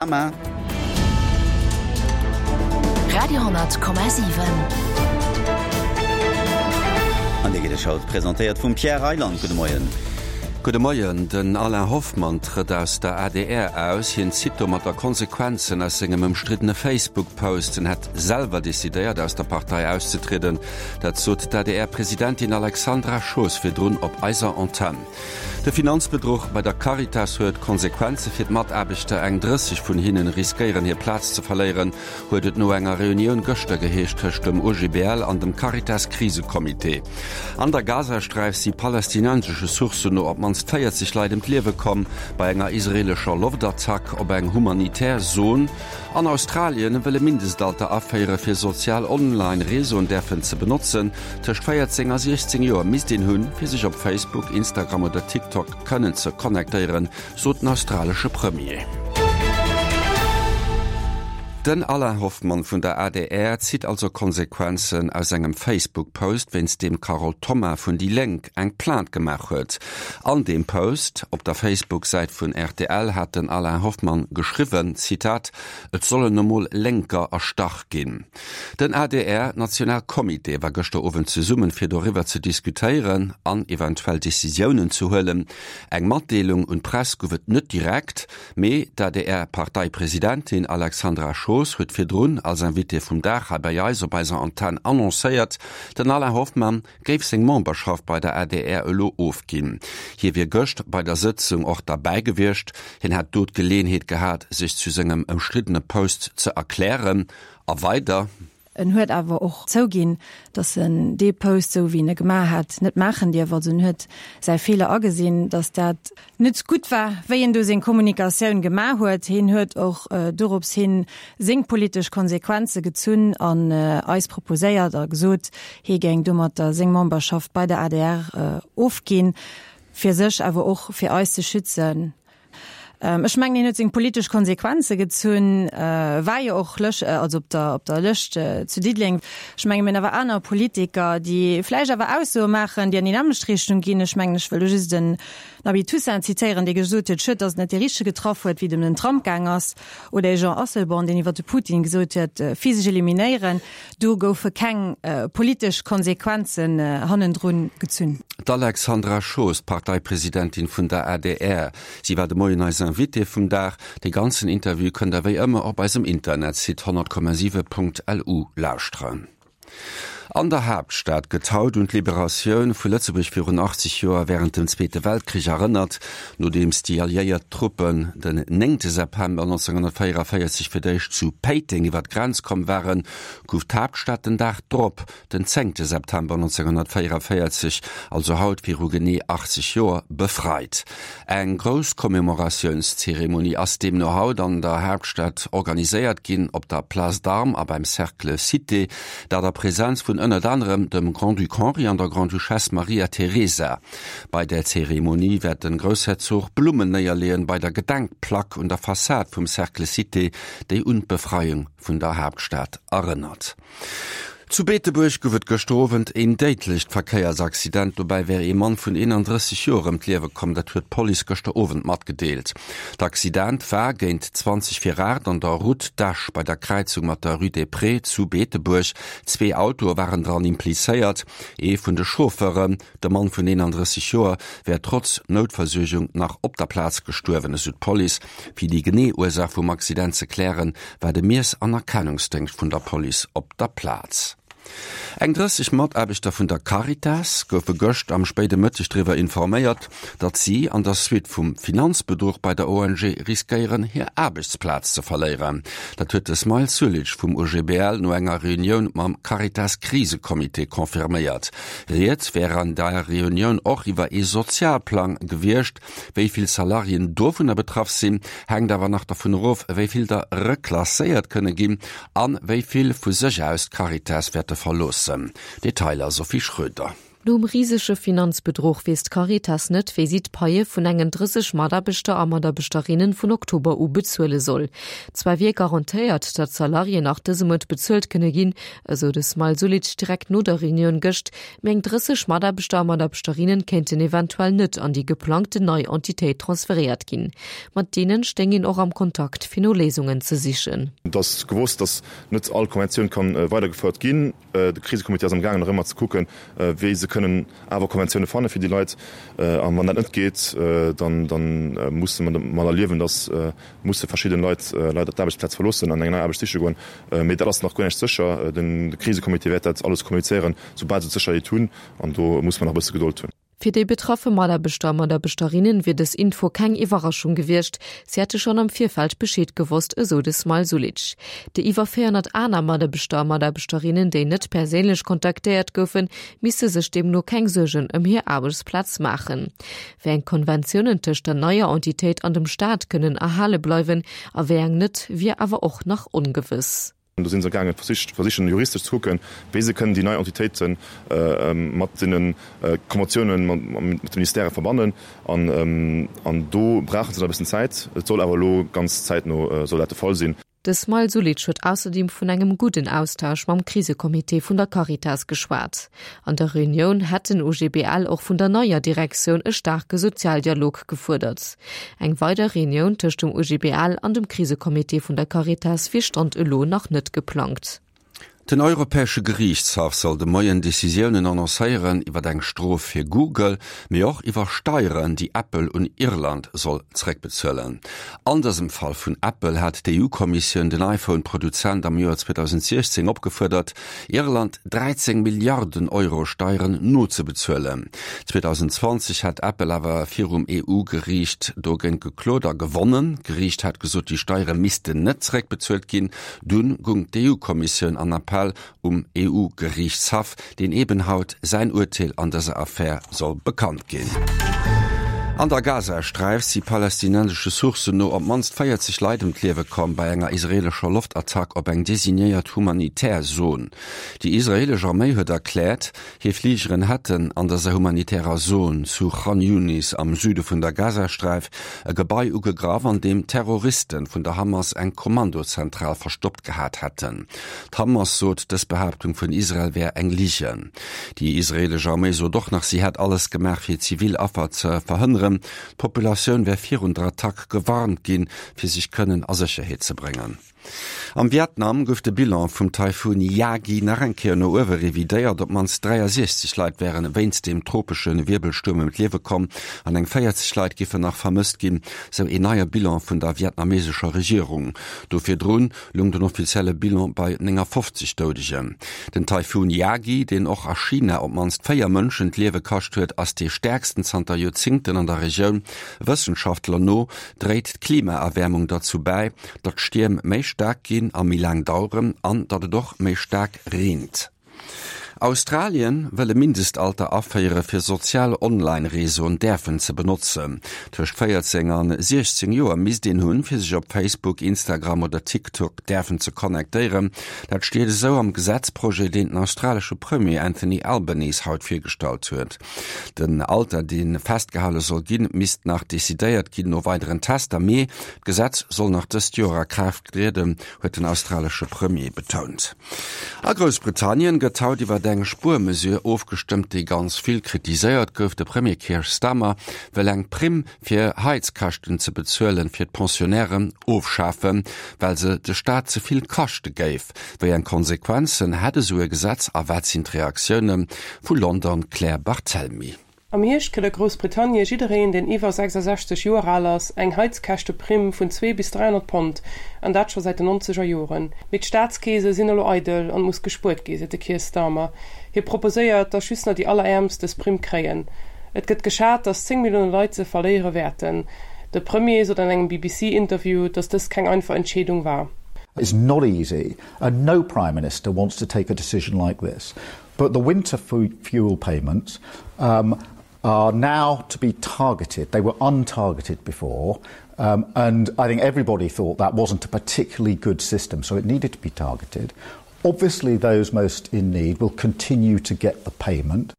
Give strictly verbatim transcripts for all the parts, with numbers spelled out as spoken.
Mama. Radio honnert Komma siwen. An déi geet haut presentéiert vum Pierre Reyland. Gudde Moien. Gudde Moien. Den Alain Hoffmann trëtt aus der adr aus. Hien zitt domatter Konsequenzen aus sengem ëmstriddene Facebook-Post. En hätt selwer decidéiert, aus der Partei auszetrieden. Dat sot d'ADR-Presidentin Alexandra Schoos virdrun op eiser Antenn. De Finanzbedruch bei der Caritas huet Konsequenze fir d'Mataarbechter. Eng drësseg vun hinnen riskéieren hir Plaz ze verléieren, huet et no enger Reunioun gëschter geheescht tëscht dem O G B L an dem Caritas-Krisecomité. An der Gazasträif si palästinensesche Sourcen no op d'mannst véierzeg Leit ëm d'Liewe komm bei enger israeelescher Loftattack op eng humanitär Zon. An Australien wëll e Mindestalter aféiere fir sozial Online-Reseauen däerfen ze benotzen. Tëscht véierzéng a siechzéng Joer misst een hunn, fir sech op Facebook, Instagram oder TikTok kënnen ze connectéieren, sot den australesche Premier. Den Alain Hoffmann vun der A D R zitt also Konsequenzen aus engem Facebook-Post, wéinst deem d'Carole Thoma vun déi Lénk eng Plainte gemaach huet. An deem Post op der Facebook-Säit vun R T L hat den Alain Hoffmann geschriwwen, Zitat, Et sollen emol Lénker erstach ginn. Den A D R-Nationalcomité war gëschter Owend zesummen, fir doriwwer ze diskutéieren an eventuell Decisiounen ze huelen. Eng Matdeelung un d'Press gouf et net direkt, mee d'A D R-Parteipresidentin Alexandra Schoos huet virdrun als Invitée vum Dag hei bei eis op eiser Antenn annoncéiert, den Alain Hoffmann géif seng Memberschaft bei der A D R elo ofginn. Hie wier gëscht bei der Sëtzung och derbäi gewiescht, hien hätt do d'Geleeënheet gehat, sech zu sengem ëmstriddene Post ze erklären. A weider: En huet awer och zouginn, datt en dee Post, sou wéi en e gemaach hat, net maachen dierf. Also en huet säi Feeler agesinn, datt dat net gutt war, wéi en do seng Kommunikatioun gemaach huet. Hien huet och äh, dorops hin seng politesch Konsequenze gezunn an äh, eis proposéiert a gesot, hie géing domatter seng Memberschaft bei der A D R äh, ofginn, fir sech awer och fir eis ze schützen. Ähm, ech mengen, hien huet seng politesch Konsequenze gezunn, äh, war jo och Lësch, äh, also op der op der Lëscht äh, zu Diddeleng. Ech mengen, mir hunn awer aner Politiker, déi vläicht awer Aussoe maachen, déi an déi nämmlecht Richtung ginn. Ech mengen, ech wëll just den Nabi Toussaint zitéieren, dee gesot huet, schued, datt net de Richtege getraff huet, wéi et ëm den Trump gaang ass, oder Jean Asselborn, deen iwwer de Putin gesot huet, äh, physesch eliminéieren. Do goufe keng äh, politesch Konsequenzen äh, hannendrun gezunn. D'Alexandra Schoos, Parteipresidentin vun der A D R, si war de Moien eis Invitée vum Dag. De ganzen Interview kënnt der wéi ëmmer op eisem Internetsite honnert Komma siwe Punkt L U lauschteren. An der Haaptstad gëtt haut un d'Liberatioun vu Lëtzebuerg virun achtzeg Joer wärend dem Zweete Weltkrich erënnert, nodeems déi alliéiert Truppen den néngte September nonzénghonnertvéierenvéierzeg fir d'éischt zu Péiteng iwwer d'Grenz komm waren, gouf d'Haaptstad den Dag drop, den zéngte September nonzénghonnertvéierenvéierzeg, also haut viru genee achtzeg Joer, befreit. Eng grouss Commémoratiounszeremonie ass deemno haut an der Haaptstad organiséiert ginn op der Place d'Armes a beim Cercle Cité, dat a Presenz vun ënnert anerem dem Grand-Duc Henri an der Grande-Duchesse Maria Teresa. Bei der Zeremonie wäert de Groussherzog Blummen néierleeën bei der Gedenkplack un der Fassad vum Cercle Cité, déi un d'Befreiung vun der Haaptstad erënnert. Zu Beetebuerg gouf et gëschter Owend een déidlecht Verkéiersaccident. Dobäi wär ee Mann vun eenandrësseg Joer ëm d'Liewe komm, dat huet d'Police gëschter Owend matgedeelt. D'Accident war géint zwanzeg vir aacht an der Route d'Esch bei der Kräizung mat der Rue des Prés zu Beetebuerg. Zwee Autoe waren dran implizéiert. Ee vun de Chauffeuren, de Mann vun eenandrësseg Joer, wär trotz Noutversuergung nach op der Plaz gestuerwen, esou d'Police. Fir déi genee Ursaach vum Accident ze klären, war de Miess an Erkennungsdéngscht vun der Police op der Plaz. Eng drësseg Mataarbechter vun der Caritas goufe gëscht am spéide Mëtteg driwwer informéiert, datt si an der Suite vum Finanzbedruch bei der O N G riskéieren, hir Aarbechtsplaz ze verléieren. Dat huet de Smail Sulic vum O G B L no enger Reunioun mam Caritas-Krisecomité confirméiert. Rieds wär an der Reunioun och iwwer ee Sozialplang gewiescht. Wéi vill Salariéen dovunner betraff sinn, hänkt awer nach dovun of, wéi vill der reklasséiert kënne ginn an wéi vill vu sech aus d'Caritas wäerte verloossen. Detailer Sophie Schröder. Nom risege Finanzbedruch weess d'Caritas net, wéi si d'Paie vun engen drësseg Mataarbechter a Mataarbechterinnen vun Oktober u bezuele soll. Zwar wier garantéiert, datt d'Salariéen nach dëse Mount bezuelt kënne ginn, esou de Smail Sulic direkt no der Reunioun gëscht, mee eng drësseg Mataarbechter a Mataarbechterinnen kéinten eventuell net an déi geplangten nei Entitéit transferéiert ginn. Mat deenen stéing een och am Kontakt, fir no Léisungen ze sichen. Et ass gewosst, datt net all Konventioun ka weidergefouert ginn. De Krisecomité ass am gaangen nach ëmmer ze kucken, wéi se kënnen awer Konventioune fanne fir déi Leit. A wann dat net geet, dann musse mer domadder liewen, datt musse verschidde Leit leider d'Aarbechtsplaz verloossen an eng nei Aarbecht siche goen. Mee dat ass nach guer näischt sécher. De Krisecomité wäert dat alles kommunizéieren, soubal se d'Sécherheet hunn. An do musse mer nach e bësse Gedold hunn. Fir déi betraffe Mataarbechter a Mataarbechterinnen wier dës Info keng Iwwerraschung gewiescht, si hätte schonn am Virfeld Bescheed gewosst, esou de Smail Sulic. Déi iwwer véierhonnert aner Mataarbechter a Mataarbechterinnen, déi net perséinlech kontaktéiert goufen, misste sech deemno keng Suergen ëm hir Aarbechtsplaz maachen. Wéi eng Konventiounen tëscht der neier Entitéit an dem Staat kënnen erhale bleiwen a wéi eng net, wier awer och nach ongewëss. Do si se amgaangen, versichen juristesch ze kucken, wéi se kënnen déi nei Entitéite mat deene Konventiounen mat de Ministèrë verbannen. An do brauche se nach e bëssen Zäit. Et soll awer elo ganz zäitno soll dat de Fall sinn. De Smail Sulic huet ausserdeem vun engem gudden Austausch mam Krisecomité vun der Caritas geschwat. An der Reunioun hätt den O G B L och vun der neier Direktioun e staarke Sozialdialog gefuerdert. Eng weider Reunioun tëscht dem O G B L an dem Krisecomité vun der Caritas wier Stand elo nach net geplangt. Den Europäesche Geriichtshaff soll de Moien Decisiounen annoncéieren iwwer eng Strof fir Google, mee och iwwer Steieren, déi Apple un Irland soll zeréckbezuelen. An dësem Fall vun Apple hat d'E U-Kommissioun den iPhone-Produzent am Joer zweedausendsiechzéng opgefuerdert, Irland dräizéng Milliarden Euro Steieren nozebezuelen. zweedausendzwanzeg hat Apple awer virum E U-Geriicht dogéint geklot a gewonnen. D'Geriicht hat gesot, déi Steiere missten net zeréckbezuelt ginn. Dunn goung d'E U-Kommissioun an Appell um E U-Geriichtshaff, deen eben haut säin Urteel an dëser Affär soll bekannt ginn. An der Gazasträif si palästinensesche Sourcen no op d'mannst véierzeg Leit ëm d'Liewe komm bei enger israeelescher Loftattack op eng designéiert humanitär Zon. Déi israeelesch Arméi huet erkläert, hir Fligeren hätten an dëser humanitärer Zon zu Chan Yunis am Süde vun der Gazasträif e Gebai ugegraff, an deem Terroriste vun der Hamas eng Kommandozentral verstoppt gehat hätten. D'Hamas sot, dës Behaaptung vun Israel wär eng Ligen. Déi israeelesch Arméi sot och nach, si hätt alles gemaach, fir zivil Affer ze verhënneren. D'Populatioun wär virun der Attack gewarnt ginn, fir sech kënnen a Sécherheet ze bréngen. Am Vietnam gouf de Bilan vum Taifun Yagi nach eng Kéier no uewe revidéiert. Op d'mannst dräiasiechzeg Leit wären wéinst dem tropesche Wierbelstuerm ëm d'Liewe komm an eng véierzeg Leit géifen nach vermësst ginn, sou een neie Bilan vun der vietnameesescher Regierung. Do virdrun loung den offizielle Bilan bei néngafofzeg Doudegen. Den Taifun Yagi, deen och a China op d'mannst véier Mënschen d'Liewe kascht huet, ass dee stäerksten zanter Joerzéngten an der Regioun. Wëssenschaftler no dréit d'Klimaerwäermung derzou bäi, datt d'Stierm méi staark ginn a méi laang daueren an datt et och méi staark reent. Australien wëll e Mindestalter aféiere fir sozial Online-Reseauen däerfen ze benotzen. Tëscht véierzéng an siechzéng Joer misst een hunn, fir sech op Facebook, Instagram oder TikTok däerfen ze connectéieren. Dat steet esou am Gesetzprojet, deen den australesche Premier Anthony Albanese haut virgestallt huet. Den Alter, dee festgehale soll ginn, misst nach decidéiert ginn no weideren Tester, mee d'Gesetz soll nach dëst Joer a Kraaft trieden, huet den australesche Premier betount. A Groussbritannien gëtt haut iwwer eng Spuermesure ofgestëmmt, déi ganz vill kritiséiert gouf. De Premier Keir Starmer wëll eng Primm fir Heizkäschten ze bezuelen fir d'Pensionnairen ofschafen, well se de Staat ze vill kaschte géif. Wéi eng Konsequenzen hätt esou e Gesetz a wat sinn d'Reaktioune vu London? Claire Barthelmy. Am Hierscht kritt a Groussbritannie jiddereen, deen iwwer sechsasechzeg Joer al ass, eng Heizkäschteprimm vun zwee bis dräihonnert Pond, an dat scho säit den nonzeger Joren. Mee d'Staatskeese sinn elo eidel an et muss gespuert gi, seet de Keir Starmer. Hie proposéiert, datt just nach déi Alleräermst dës Primm kréien. Et gëtt geschat, datt zéng Millioune Leit se verléiere wäerten. De Premier sot an engem B B C-Interview, datt dëst keng einfach Entscheedung war. It's not easy, and no Prime Minister wants to take a decision like this. But the winter fuel payments um, are now to be targeted. They were untargeted before, um, and I think everybody thought that wasn't a particularly good system, so it needed to be targeted. Obviously, those most in need will continue to get the payment.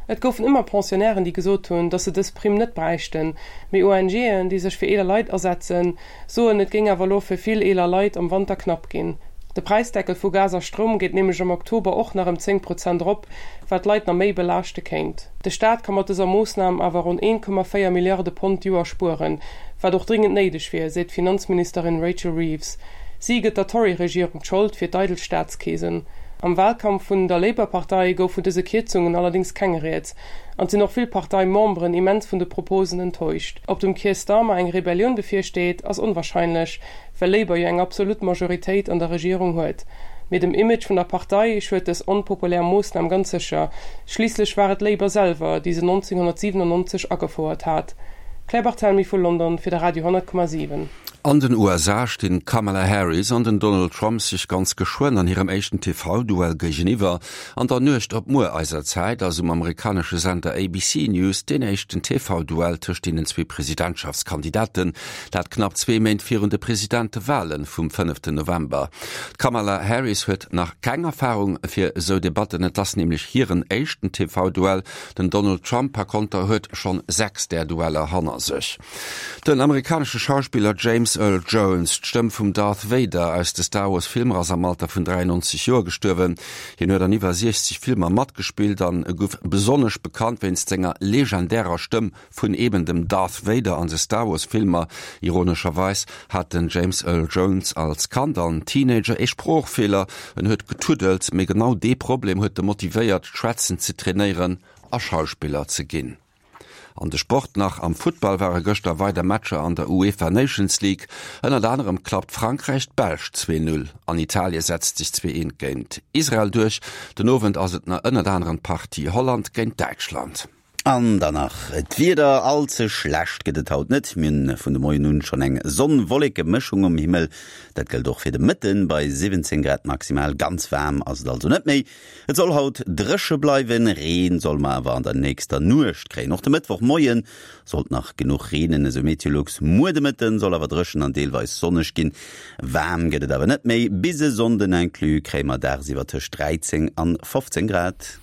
Et goufen ëmmer Pensionnairen, déi gesot hunn, datt se dës Primm net bräichten, mee ONGen, déi sech fir eeler Leit asetzen, soen, et géing awer elo fir vill eeler Leit am Wanter knapp ginn. De Präisdeckel vu Gas a Stroum geet nämlech am Oktober och nach ëm zéng Prozent erop, wat d'Leit nach méi belaaschte kéint. De Staat ka mat dëser Moossnam awer ronn een Komma véier Milliarde Pond d'Joer spueren, wat och dringend néideg wier, seet d'Finanzministerin Rachel Reeves. Si gëtt der Tory-Regierung d'Schold fir d'eidel Staatskeesen. Am Walkampf vun der Labour-Partei gouf vun dëse Kierzungen allerdéngs keng Rieds, an et sinn och vill Parteimemberen immens vun de Proposen enttäuscht. Ob dem Keir Starmer eng Rebellioun bevirsteet, ass onwarscheinlech, well Labour jo eng absolut Majoritéit an der Regierung huet. Mee dem Image vun der Partei schued dës onpopulär Moossnam ganz sécher, schliisslech war et Labour selwer, déi se nonzénghonnertsiwenannonzeg agefouert hat. Claire Barthelmy vu London fir de Radio honnert Komma siwen. An den U S A stinn d'Kamala Harris an den Donald Trump sech ganz geschwënn an hirem éischten T V-Duell géigeniwwer. An der Nuecht op muer eiser Zäit ass um amerikanesche Sender A B C News deen éischten T V-Duell tëscht deenen zwee Presidentschaftskandidaten, dat knapp zwee Méint virun de Presidentewalen vum fënneften November. D'Kamala Harris huet nach keng Erfarung fir esou Debatten, et ass nämlech hiren éischten T V-Duell. Den Donald Trump par konter huet schonn sechs där Dueller hanner sech. Den amerikanesche Schauspiller James Earl Jones, d'Stëmm vum Darth Vader aus de Star Wars Filmer, ass am Alter vun dräiannonzeg Joer gestuerwen. Hien huet an iwwer siechzeg Filmer matgespillt an gouf besonnesch bekannt wéinst senger legendärer Stëmm vun eben dem Darth Vader an de Star Wars Filmer. Ironescherweis hat den James Earl Jones als Kand an Teenager ee Sproochfeeler. En huet getuddelt, mee genau dee Problem huet e motivéiert, d'Schwätzen ze trainéieren a Schauspiller ze ginn. An de Sport nach, am Futtball ware gëschter weider Matcher an der UEFA Nations League. Ënnert anerem klappt Frankräich d'Belsch zwee null an Italie setzt sech zwee eent géint Israel duerch. Den Owend ass et nach ënnert anerem d'Partie Holland géint Däitschland. An dann nach d'Wieder, all ze schlecht gëtt et haut net. Mir hunn vun de Moien un schonn eng Sonn-Wolleke-Mëschung um Himmel. Dat gëllt och fir de Mëtten bei siwwenzéng Grad maximal. Ganz waarm ass et also net méi. Et soll haut dréche bleiwen, Reen soll mer awer an der nächster Nuecht kréien. Och de Mëttwochmoie sollt nach genuch reenen, esou Meteolux. Muer de Mëtten soll awer dréchen an deelweis sonneg ginn. Waarm gëtt et awer net méi. Bis e Sonnden inclus kréie mer dagsiwwer tëscht dräizéng an fofzéng Grad.